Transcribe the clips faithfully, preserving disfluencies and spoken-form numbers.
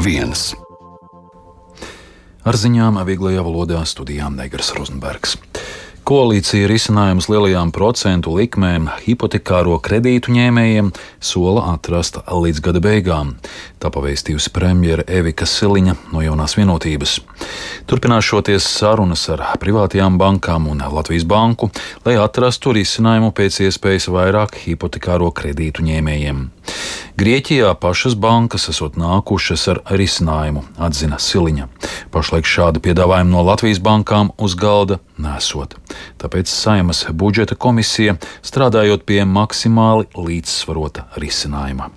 viens. Ar ziņām vieglajā valodā studijām Negras Rozenbergs. Koalīcija risinājumus lielajām procentu likmēm hipotekāro kredītu ņēmējiem sola atrast līdz gada beigām. Tā pavēstījusi premjere Evika Siliņa no Jaunās vienotības. Turpināšoties sarunas ar privātajām bankām un Latvijas banku, lai atrastu risinājumu pēc iespējas vairāk hipotekāro kredītu ņēmējiem. Grieķijā pašas bankas esot nākušas ar risinājumu, atzina Siliņa. Pašlaik šādi piedāvājumi no Latvijas bankām uz galda nesot. Tāpēc Saeimas budžeta komisija strādājot pie maksimāli līdzsvarota risinājuma.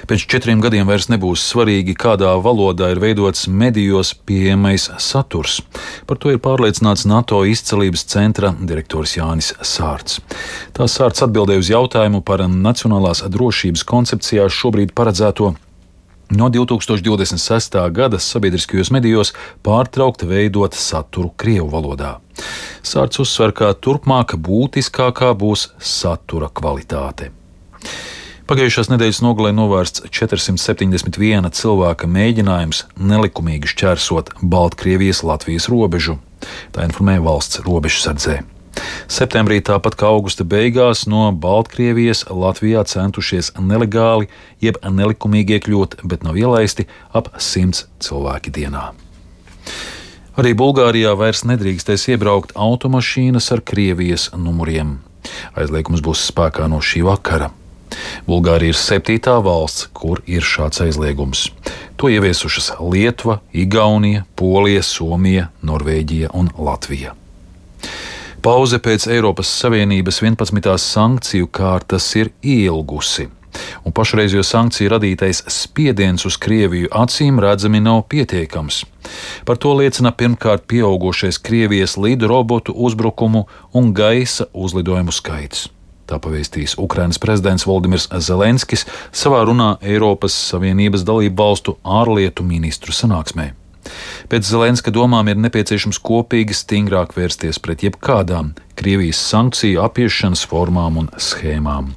Pēc četriem gadiem vairs nebūs svarīgi, kādā valodā ir veidots medijos pieejamais saturs. Par to ir pārliecināts NATO izcelības centra direktors Jānis Sārts. Tā Sārts atbildēja uz jautājumu par nacionālās drošības koncepcijā šobrīd paredzēto no divi tūkstoši divdesmit sestā gada sabiedriskajos medijos pārtraukt veidot saturu krievu valodā. Sārts uzsver, ka turpmāk būtiskākā būs satura kvalitāte. Pagājušās nedēļas nogalē novērsts četrsimt septiņdesmit viena cilvēka mēģinājums nelikumīgi šķērsot Baltkrievijas-Latvijas robežu. Tā informē valsts robežsardzē. Septembrī, tāpat kā augusta beigās, no Baltkrievijas Latvijā centušies nelegāli jeb nelikumīgi iekļūt, bet nav ielaisti ap simts cilvēki dienā. Arī Bulgārijā vairs nedrīkstēs iebraukt automašīnas ar Krievijas numuriem. Aizliegums būs spēkā no šī vakara. Bulgārija ir septītā valsts, kur ir šāds aizliegums. To ieviesušas Lietuva, Igaunija, Polija, Somija, Norvēģija un Latvija. Pauze pēc Eiropas Savienības vienpadsmitās sankciju kārtas ir ilgusi, un pašreizējo sankciju radītais spiediens uz Krieviju acīm redzami nav pietiekams. Par to liecina pirmkārt pieaugošais Krievijas lidrobotu uzbrukumu un gaisa uzlidojumu skaits. Tā pavēstīs Ukrainas prezidents Voldimirs Zelenskis savā runā Eiropas Savienības dalību valstu ārlietu ministru sanāksmē. Pēc Zelenska domām ir nepieciešams kopīgi stingrāk vērsties pret jebkādām Krievijas sankciju apiešanas formām un schēmām.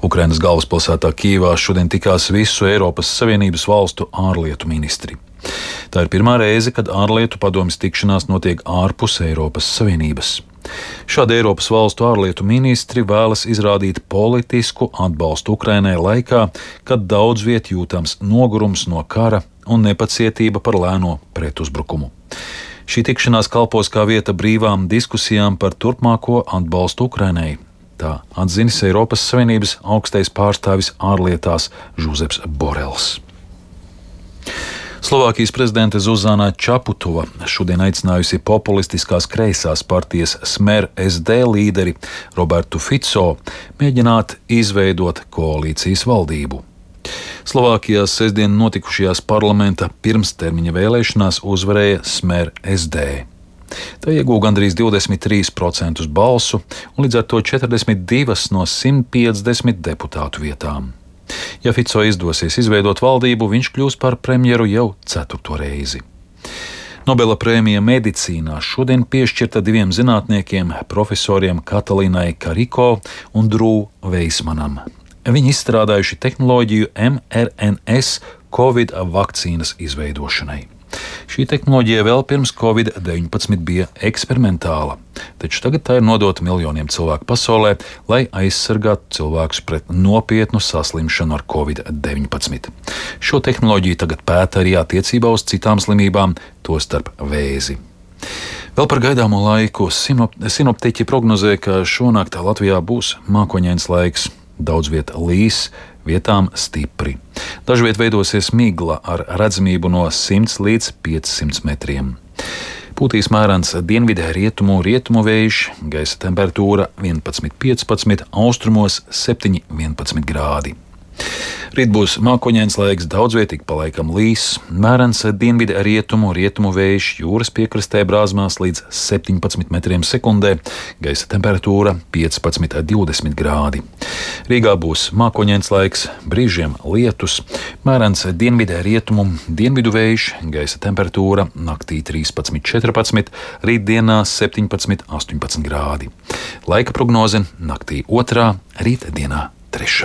Ukrainas galvaspilsētā Kijevā šodien tikās visu Eiropas Savienības valstu ārlietu ministri. Tā ir pirmā reize, kad ārlietu padomjas tikšanās notiek ārpus Eiropas Savienības. Šādi Eiropas valstu ārlietu ministri vēlas izrādīt politisku atbalstu Ukrainai laikā, kad daudz viet jūtams nogurums no kara un nepacietība par lēno pretuzbrukumu. Šī tikšanās kalpos kā vieta brīvām diskusijām par turpmāko atbalstu Ukrainai. Tā atzinis Eiropas Savienības augstais pārstāvis ārlietās Žuzeps Borels. Slovākijas prezidente Zuzana Čaputova šodien aicinājusi populistiskās kreisās partijas Smer es de līderi Robertu Fico mēģināt izveidot koalīcijas valdību. Slovākijā sestdien notikušajās parlamenta pirmstermiņa vēlēšanās uzvarēja Smer es de. Tā iegūta gandrīz divdesmit trīs procentus balsu un līdz ar to četrdesmit divas no simt piecdesmit deputātu vietām. Ja Fico izdosies izveidot valdību, viņš kļūs par premjeru jau ceturto reizi. Nobela prēmija medicīnā šodien piešķirta diviem zinātniekiem, profesoriem Katalīnai Kariko un Drū Veismanam. Viņi izstrādājuši tehnoloģiju em er en es Covid vakcīnas izveidošanai. Šī tehnoloģija vēl pirms Covid deviņpadsmit bija eksperimentāla, taču tagad tā ir nodota miljoniem cilvēku pasaulē, lai aizsargātu cilvēkus pret nopietnu saslimšanu ar Covid deviņpadsmit. Šo tehnoloģiju tagad pēta arī attiecībā uz citām slimībām, tostarp vēzi. Vēl par gaidāmo laiku sinoptiķi prognozē, ka šonakt Latvijā būs mākoņains laiks, daudz viet līs, vietām stipri. Dažviet veidosies migla ar redzamību no simts līdz piecsimt metriem. Pūtīs mērens dienvidē rietumu rietumu vējš, gaisa temperatūra vienpadsmit piecpadsmit, austrumos septiņi vienpadsmit grādi. Rīt būs mākoņains laiks, daudzvietīgi pa laikam līs, mērens dienvidē rietumu rietumu vējš, jūras piekrastē brāzmās līdz septiņpadsmit metriem sekundē, gaisa temperatūra piecpadsmit divdesmit grādi. Rīgā būs mākoņains laiks, brīžiem lietus, mērens dienvidē rietumu dienvidu vējš, gaisa temperatūra naktī trīspadsmit četrpadsmit, rītdienā septiņpadsmit astoņpadsmit grādi. Laika prognoze naktī otrā, rītdienā trešā.